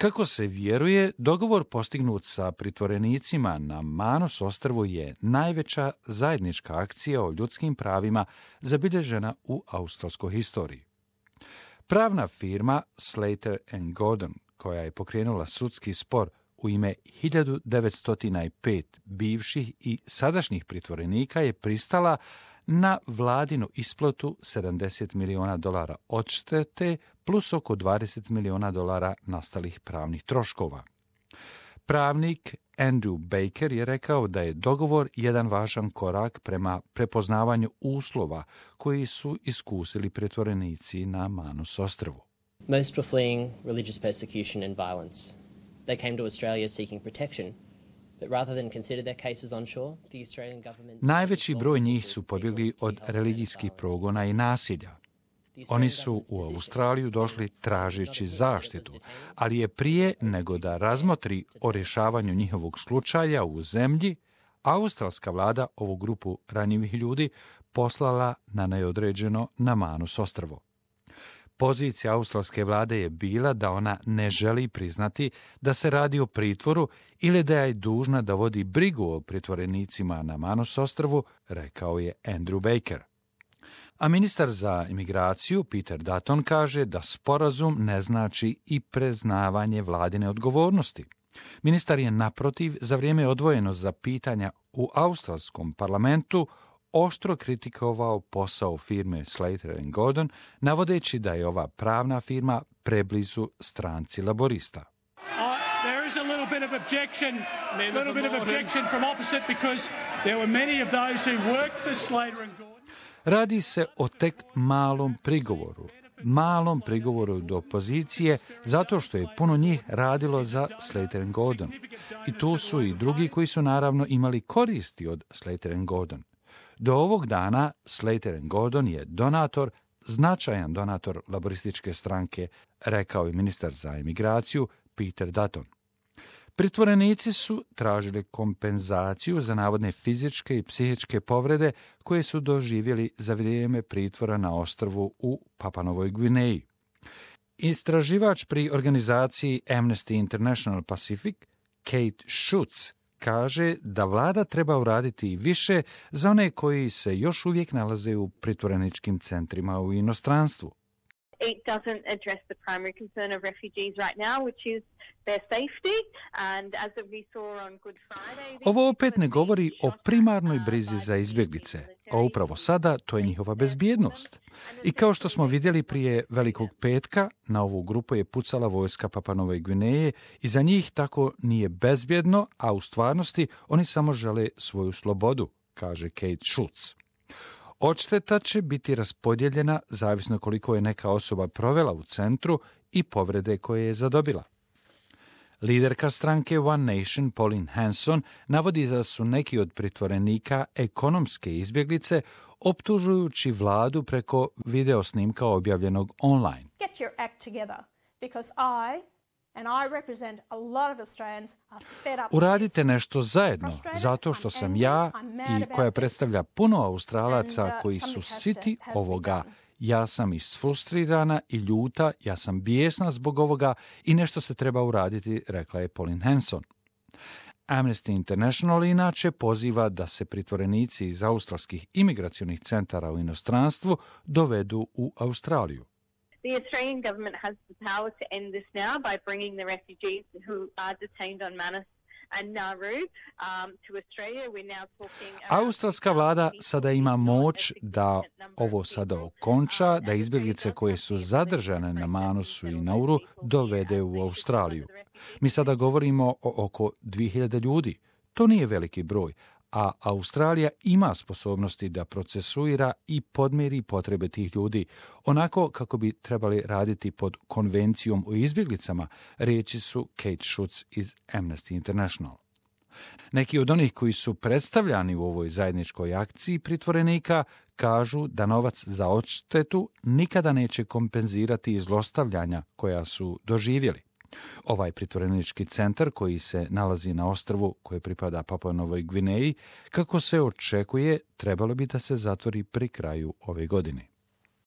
Kako se vjeruje, dogovor postignut sa pritvorenicima na Manus ostrvu je najveća zajednička akcija o ljudskim pravima zabilježena u australskoj historiji. Pravna firma Slater and Gordon, koja je pokrenula sudski spor u ime 1905 bivših i sadašnjih pritvorenika, je pristala na vladinu isplatu $70 miliona odštete plus oko $20 miliona nastalih pravnih troškova. Pravnik Andrew Baker je rekao da je dogovor jedan važan korak prema prepoznavanju uslova koji su iskusili pritvorenici na Manus ostrvu. Most were fleeing religious persecution and violence. They came to Australia seeking protection. But rather than consider their cases on shore, the Australian government... Najveći broj njih su pobjegli od religijskih progona i nasilja. Oni su u Australiju došli tražeći zaštitu, ali je prije nego da razmotri o rješavanju njihovog slučaja u zemlji, australska vlada ovu grupu ranjivih ljudi poslala na neodređeno na Manus ostrvo. Pozicija australske vlade je bila da ona ne želi priznati da se radi o pritvoru ili da je dužna da vodi brigu o pritvorenicima na Manus ostrvu, rekao je Andrew Baker. A ministar za imigraciju Peter Dutton kaže da sporazum ne znači i priznavanje vladine odgovornosti. Ministar je naprotiv za vrijeme odvojeno za pitanja u australskom parlamentu oštro kritikovao posao firme Slater and Gordon, navodeći da je ova pravna firma preblizu stranci laborista. There is a little bit of objection from opposite because there were many of those who worked for Slater and Gordon. Radi se o tek malom prigovoru do opozicije, zato što je puno njih radilo za Slater and Gordon. I tu su i drugi koji su naravno imali koristi od Slater and Gordon. Do ovog dana Slater and Gordon je značajan donator laborističke stranke, rekao je ministar za imigraciju Peter Dutton. Pritvorenici su tražili kompenzaciju za navodne fizičke i psihičke povrede koje su doživjeli za vrijeme pritvora na ostrvu u Papuanovoj Gvineji. Istraživač pri organizaciji Amnesty International Pacific, Kate Schutz, kaže da vlada treba uraditi više za one koji se još uvijek nalaze u pritvoreničkim centrima u inostranstvu. It doesn't address the primary concern of refugees right now, which is their safety. And as we saw on Good Friday... Ovo opet ne govori o primarnoj brizi za izbjeglice, a upravo sada to je njihova bezbjednost. I kao što smo vidjeli prije Velikog petka, na ovu grupu je pucala vojska Papuanove Gvineje i za njih tako nije bezbjedno, a u stvarnosti oni samo žele svoju slobodu, kaže Kate Schultz. Odšteta će biti raspodijeljena zavisno koliko je neka osoba provela u centru i povrede koje je zadobila. Liderka stranke One Nation, Pauline Hanson, navodi da su neki od pritvorenika ekonomske izbjeglice, optužujući vladu preko video snimka objavljenog online. Get your act together, because Uradite nešto zajedno, zato što sam ja i koja predstavlja puno Australaca koji su siti ovoga. Ja sam isfrustrirana i ljuta, ja sam bijesna zbog ovoga i nešto se treba uraditi, rekla je Pauline Hanson. Amnesty International inače poziva da se pritvorenici iz australskih imigracionih centara u inostranstvu dovedu u Australiju. The Australian government has the power to end this now by bringing the refugees who are detained on Manus and Nauru to Australia. We're now talking... Australska vlada sada ima moć da ovo sada okonča, da izbjeglice koje su zadržane na Manusu i Nauru dovede u Australiju. Mi sada govorimo o oko 2000 ljudi. To nije veliki broj, a Australija ima sposobnosti da procesuira i podmiri potrebe tih ljudi, onako kako bi trebali raditi pod konvencijom o izbjeglicama, riječi su Kate Schutz iz Amnesty International. Neki od onih koji su predstavljani u ovoj zajedničkoj akciji pritvorenika kažu da novac za odštetu nikada neće kompenzirati zlostavljanja koja su doživjeli. Ovaj pritvorenički centar koji se nalazi na ostrvu koje pripada Papuanovoj Gvineji, kako se očekuje, trebalo bi da se zatvori pri kraju ove godine.